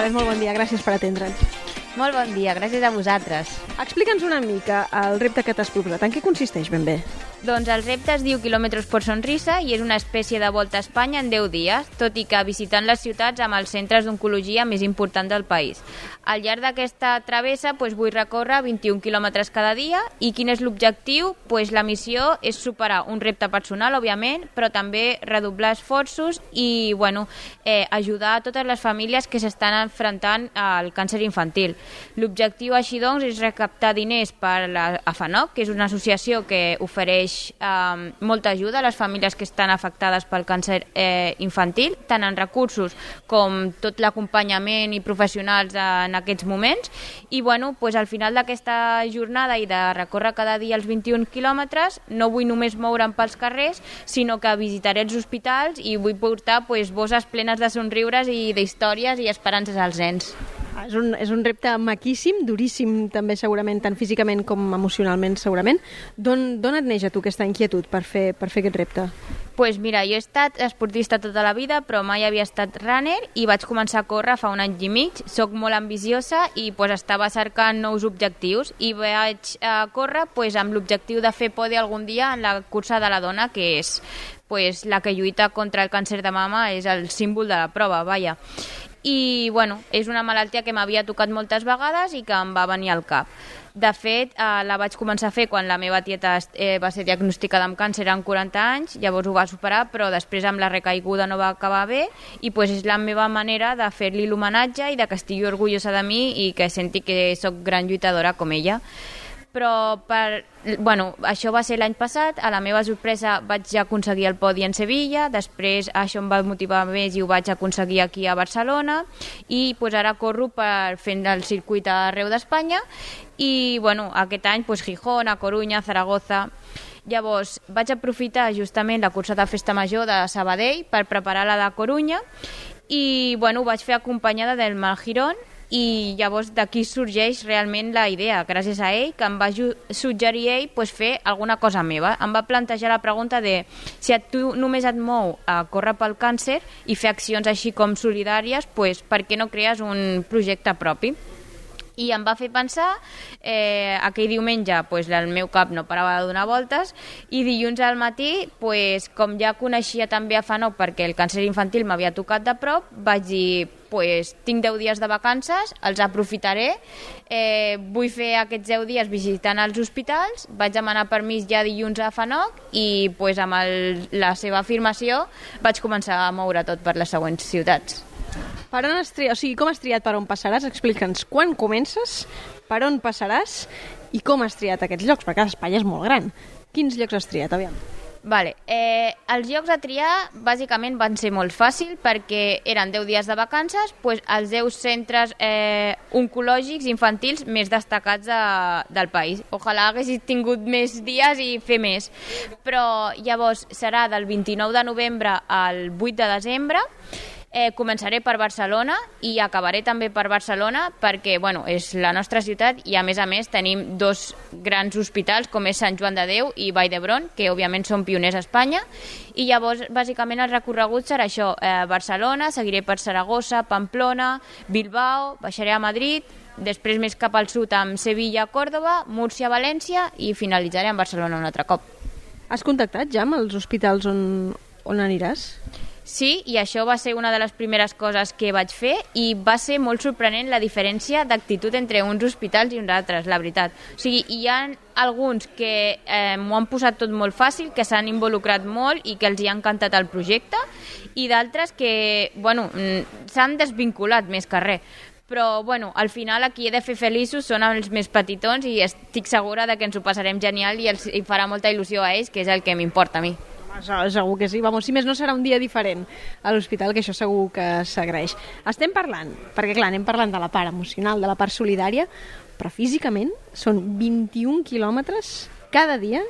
Elisabet, molt bon dia, gràcies per atendre'ns. Molt bon dia, gràcies a vosaltres. Explica'ns una mica el repte que t'has proposat. En què consisteix ben bé? Doncs el repte es diu Kilòmetres per Sonrisa i és una espècie de volta a Espanya en 10 dies, tot i que visitant les ciutats amb els centres d'oncologia més importants del país. Al llarg d'aquesta travessa vull recórrer 21 quilòmetres cada dia i quin és l'objectiu? La missió és superar un repte personal, òbviament, però també redoblar esforços i ajudar a totes les famílies que s'estan enfrontant al càncer infantil. L'objectiu, així doncs, és recaptar diners per la AFANOC, que és una associació que ofereix molta ajuda a les famílies que estan afectades pel càncer infantil, tant en recursos com tot l'acompanyament i professionals en aquests moments. I al final d'aquesta jornada i de recórrer cada dia els 21 quilòmetres, no vull només moure'm pels carrers, sinó que visitaré els hospitals i vull portar bosses plenes de somriures i d'històries i esperances als nens. És un repte maquíssim, duríssim també segurament, tant físicament com emocionalment segurament. D'on et neix a tu aquesta inquietud per fer aquest repte? Mira, jo he estat esportista tota la vida, però mai havia estat runner i vaig començar a córrer fa un any i mig. Soc molt ambiciosa i estava cercant nous objectius i vaig córrer amb l'objectiu de fer podi algun dia en la cursa de la dona, que és la que lluita contra el càncer de mama, és el símbol de la prova, vaja. I és una malaltia que m'havia tocat moltes vegades i que em va venir al cap. De fet, la vaig començar a fer quan la meva tieta va ser diagnosticada amb càncer amb 40 anys, llavors ho va superar, però després amb la recaiguda no va acabar bé i és la meva manera de fer-li l'homenatge i de que estigui orgullosa de mi i que senti que sóc gran lluitadora com ella. Però això va ser l'any passat, a la meva sorpresa vaig aconseguir el podi en Sevilla, després això em va motivar més i ho vaig aconseguir aquí a Barcelona i ara corro fent el circuit arreu d'Espanya i aquest any Gijón, a Corunya, Zaragoza. Llavors vaig aprofitar justament la cursa de Festa Major de Sabadell per preparar la de Corunya i ho vaig fer acompanyada del Mal Girón. I llavors d'aquí sorgeix realment la idea, gràcies a ell, que em va suggerir ell fer alguna cosa meva. Em va plantejar la pregunta de si tu només et mou a córrer pel càncer i fer accions així com solidàries, per què no crees un projecte propi? I em va fer pensar, aquell diumenge el meu cap no parava de donar voltes i dilluns al matí, com ja coneixia també a FANOC perquè el càncer infantil m'havia tocat de prop, vaig dir, tinc 10 dies de vacances, els aprofitaré, vull fer aquests 10 dies visitant els hospitals, vaig demanar permís ja dilluns a FANOC i amb la seva afirmació vaig començar a moure tot per les següents ciutats. Per on has triat, com has triat per on passaràs? Explica'ns quan comences, per on passaràs i com has triat aquests llocs, perquè Espanya és molt gran. Quins llocs has triat, aviam? Els llocs a triar bàsicament van ser molt fàcils perquè eren 10 dies de vacances, els 10 centres oncològics infantils més destacats del país. Ojalà haguessis tingut més dies i fer més. Però llavors serà del 29 de novembre al 8 de desembre. Començaré per Barcelona i acabaré també per Barcelona perquè és la nostra ciutat i a més tenim dos grans hospitals com és Sant Joan de Déu i Vall d'Hebron, que òbviament són pioners a Espanya, i llavors bàsicament el recorregut serà això, Barcelona, seguiré per Saragossa, Pamplona, Bilbao, baixaré a Madrid, després més cap al sud amb Sevilla, Còrdova, Múrcia, València i finalitzaré amb Barcelona un altre cop. Has contactat ja amb els hospitals on aniràs? Sí, i això va ser una de les primeres coses que vaig fer i va ser molt sorprenent la diferència d'actitud entre uns hospitals i uns altres, la veritat. Hi ha alguns que m'ho han posat tot molt fàcil, que s'han involucrat molt i que els hi ha encantat el projecte, i d'altres que s'han desvinculat més que res. Però al final aquí he de fer feliços són els més petitons i estic segura que ens ho passarem genial i els farà molta il·lusió a ells, que és el que m'importa a mi. Segur que sí, si més no serà un dia diferent a l'hospital, que això segur que s'agraeix. Estem parlant, perquè clar, anem parlant de la part emocional, de la part solidària, però físicament són 21 quilòmetres cada dia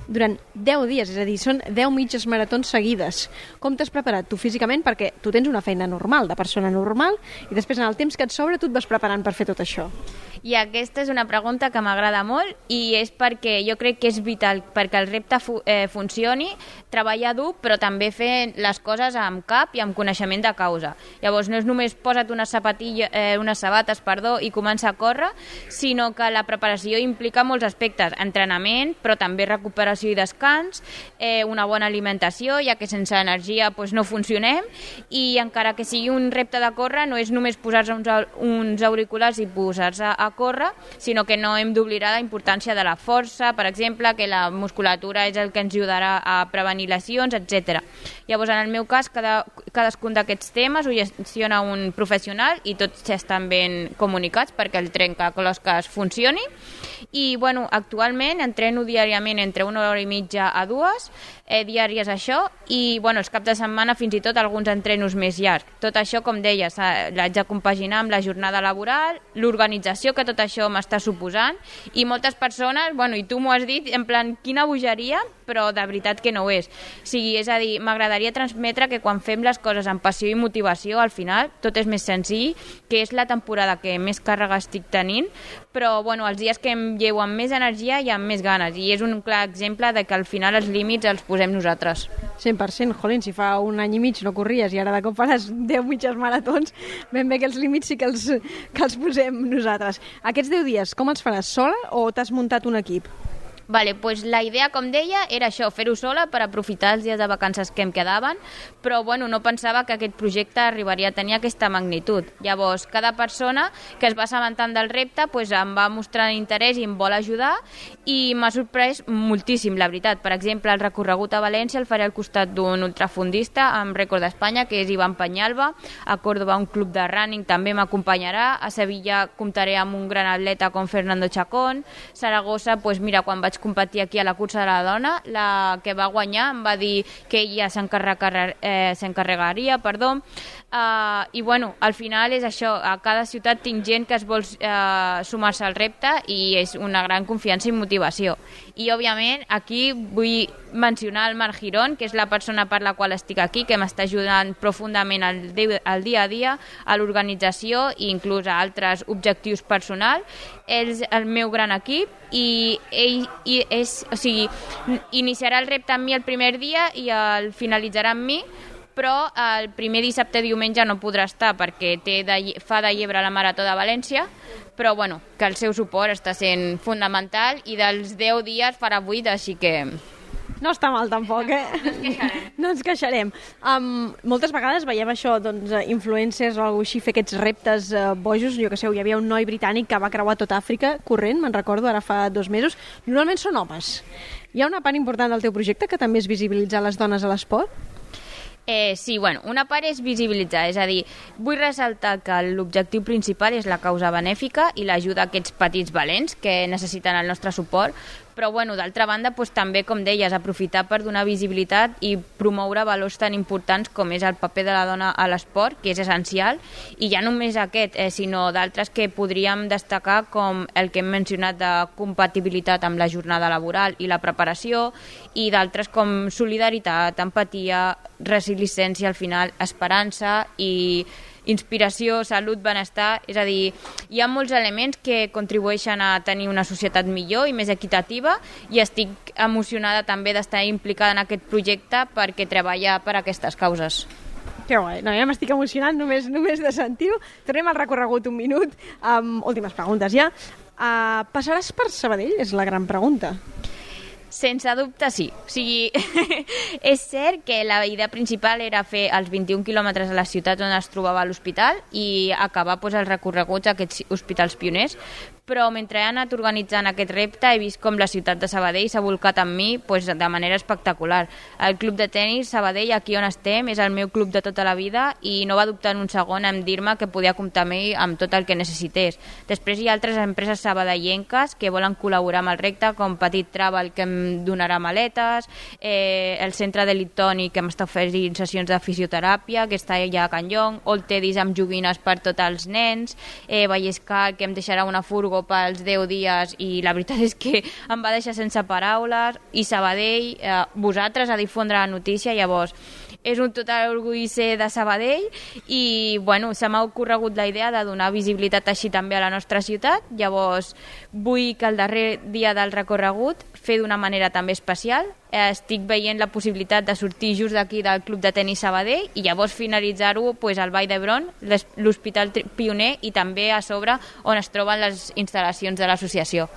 durant 10 dies, és a dir, són 10 mitges maratons seguides. Com t'has preparat tu físicament? Perquè tu tens una feina normal, de persona normal, i després en el temps que et sobra tu et vas preparant per fer tot això. I aquesta és una pregunta que m'agrada molt i és perquè jo crec que és vital perquè el repte funcioni, treballar dur, però també fer les coses amb cap i amb coneixement de causa. Llavors, no és només posa't unes sabates i comença a córrer, sinó que la preparació implica molts aspectes, entrenament, però també recuperació i descans, una bona alimentació, ja que sense energia no funcionem, i encara que sigui un repte de córrer, no és només posar-se uns auriculars i posar-se a córrer, sinó que no hem d'oblidar la importància de la força, per exemple, que la musculatura és el que ens ajudarà a prevenir lesions, etc. Llavors, en el meu cas, cadascun d'aquests temes ho gestiona un professional i tots estan ben comunicats perquè el trencaclosques funcioni. I, actualment entreno diàriament entre 1 hora i mitja a 2, diàries això, i, els caps de setmana fins i tot alguns entrenos més llargs. Tot això, com deies, l'haig de compaginar amb la jornada laboral, l'organització que tot això m'està suposant, i moltes persones, i tu m'ho has dit, en plan, quina bogeria, però de veritat que no ho és. O sigui, és a dir, m'agradaria transmetre que quan fem les coses amb passió i motivació, al final tot és més senzill, que és la temporada que més càrrega estic tenint, però els dies que em llevo amb més energia i amb més ganes, i és un clar exemple de que al final els límits els posem nosaltres. 100%, jolín, si fa un any i mig no corries i ara de cop faràs 10 mitges maratons, ben bé que els límits sí que els posem nosaltres. Aquests 10 dies, com els faràs, sola o t'has muntat un equip? Doncs la idea, com deia, era això, fer-ho sola per aprofitar els dies de vacances que em quedaven, però no pensava que aquest projecte arribaria a tenir aquesta magnitud. Llavors, cada persona que es va assabentant del repte em va mostrar interès i em vol ajudar, i m'ha sorprès moltíssim, la veritat. Per exemple, el recorregut a València el faré al costat d'un ultrafondista amb rècord d'Espanya, que és Ivan Peñalba. A Córdoba un club de running també m'acompanyarà. A Sevilla comptaré amb un gran atleta com Fernando Chacón. Saragossa, mira, quan vaig competir aquí a la cursa de la dona, la que va guanyar em va dir que ella s'encarregaria, i al final és això, a cada ciutat tinc gent que es vol sumar-se al repte i és una gran confiança i motivació. I òbviament aquí vull mencionar el Marc Girón, que és la persona per la qual estic aquí, que m'està ajudant profundament al dia a dia, a l'organització i inclús a altres objectius personals. Ell és el meu gran equip i ell iniciarà el repte amb mi el primer dia i el finalitzarà amb mi, però el primer dissabte i diumenge no podrà estar perquè fa de llebre la Marató de València, però que el seu suport està sent fundamental i dels 10 dies farà 8, així que... No està mal tampoc, No ens queixarem. Moltes vegades veiem això, influencers o alguna cosa així, fer aquests reptes bojos. Jo que sé, hi havia un noi britànic que va creuar tot Àfrica corrent, me'n recordo, ara fa 2 mesos. Normalment són homes. Hi ha una part important del teu projecte que també és visibilitzar les dones a l'esport? Sí, una part és visibilitzar, és a dir, vull ressaltar que l'objectiu principal és la causa benèfica i l'ajuda a aquests petits valents que necessiten el nostre suport, però d'altra banda també, com deies, aprofitar per donar visibilitat i promoure valors tan importants com és el paper de la dona a l'esport, que és essencial, i ja només aquest, sinó d'altres que podríem destacar, com el que hem mencionat de compatibilitat amb la jornada laboral i la preparació, i d'altres com solidaritat, empatia, resiliència, al final, esperança i inspiració, salut, benestar. És a dir, hi ha molts elements que contribueixen a tenir una societat millor i més equitativa, i estic emocionada també d'estar implicada en aquest projecte perquè treballa per aquestes causes. Que guai, ja m'estic emocionant només de sentir-ho. Tornem al recorregut un minut. Últimes preguntes ja. Passaràs per Sabadell? És la gran pregunta. Sense dubte, sí. O sigui, és cert que la idea principal era fer els 21 quilòmetres a les ciutats on es trobava l'hospital i acabar els recorreguts a aquests hospitals pioners, però mentre he anat organitzant aquest repte he vist com la ciutat de Sabadell s'ha volcat amb mi de manera espectacular. El club de tenis Sabadell, aquí on estem, és el meu club de tota la vida i no va dubtar en un segon en dir-me que podia comptar amb mi amb tot el que necessités. Després hi ha altres empreses sabadellenques que volen col·laborar amb el repte, com Petit Travel, que em donarà maletes, el centre de Litoni, que m'està oferint sessions de fisioteràpia, que està allà a Can Llong, Old Teddy's amb joguines per tots els nens, Vallescar, que em deixarà una furgo pels 10 dies i la veritat és que em va deixar sense paraules, i Sabadell, vosaltres, a difondre la notícia. Llavors és un total orgull ser de Sabadell i bueno, se m'ha ocorregut la idea de donar visibilitat així també a la nostra ciutat. Llavors vull que el darrer dia del recorregut fer d'una manera també especial. Estic veient la possibilitat de sortir just d'aquí del Club de Tenis Sabadell i llavors finalitzar-ho pues, al Vall d'Hebron, l'Hospital Pioner i també a sobre on es troben les instal·lacions de l'associació.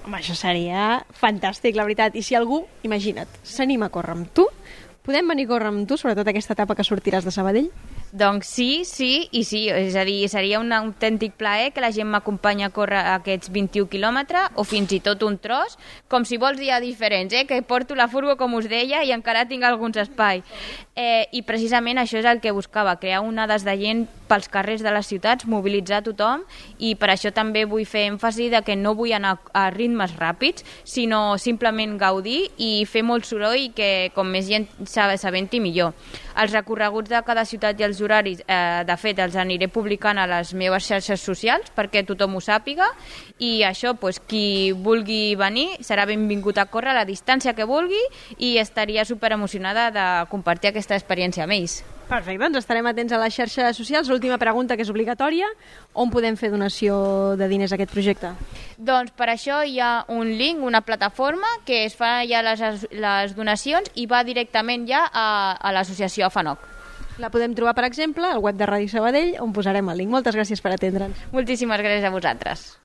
Home, això seria fantàstic, la veritat. I si algú, imagina't, s'anima a córrer amb tu, podem venir a córrer amb tu, sobretot aquesta etapa que sortiràs de Sabadell? Doncs sí, i sí, és a dir, seria un autèntic plaer que la gent m'acompanyi a córrer aquests 21 quilòmetres o fins i tot un tros, com si vols dies diferents, que porto la furgo, com us deia, i encara tinc alguns espais. I precisament això és el que buscava, crear onades de gent pels carrers de les ciutats, mobilitzar tothom, i per això també vull fer èmfasi de que no vull anar a ritmes ràpids, sinó simplement gaudir i fer molt soroll i que com més gent s'aventi millor. Els recorreguts de cada ciutat i els horaris, de fet, els aniré publicant a les meves xarxes socials perquè tothom ho sàpiga i això, doncs, qui vulgui venir serà benvingut a córrer a la distància que vulgui i estaria superemocionada de compartir aquesta experiència amb ells. Perfecte, doncs estarem atents a les xarxes socials. L'última pregunta, que és obligatòria, on podem fer donació de diners a aquest projecte? Doncs per això hi ha un link, una plataforma que es fa ja les donacions i va directament ja a l'associació AFANOC. La podem trobar, per exemple, al web de Ràdio Sabadell, on posarem el link. Moltes gràcies per atendre'ns. Moltíssimes gràcies a vosaltres.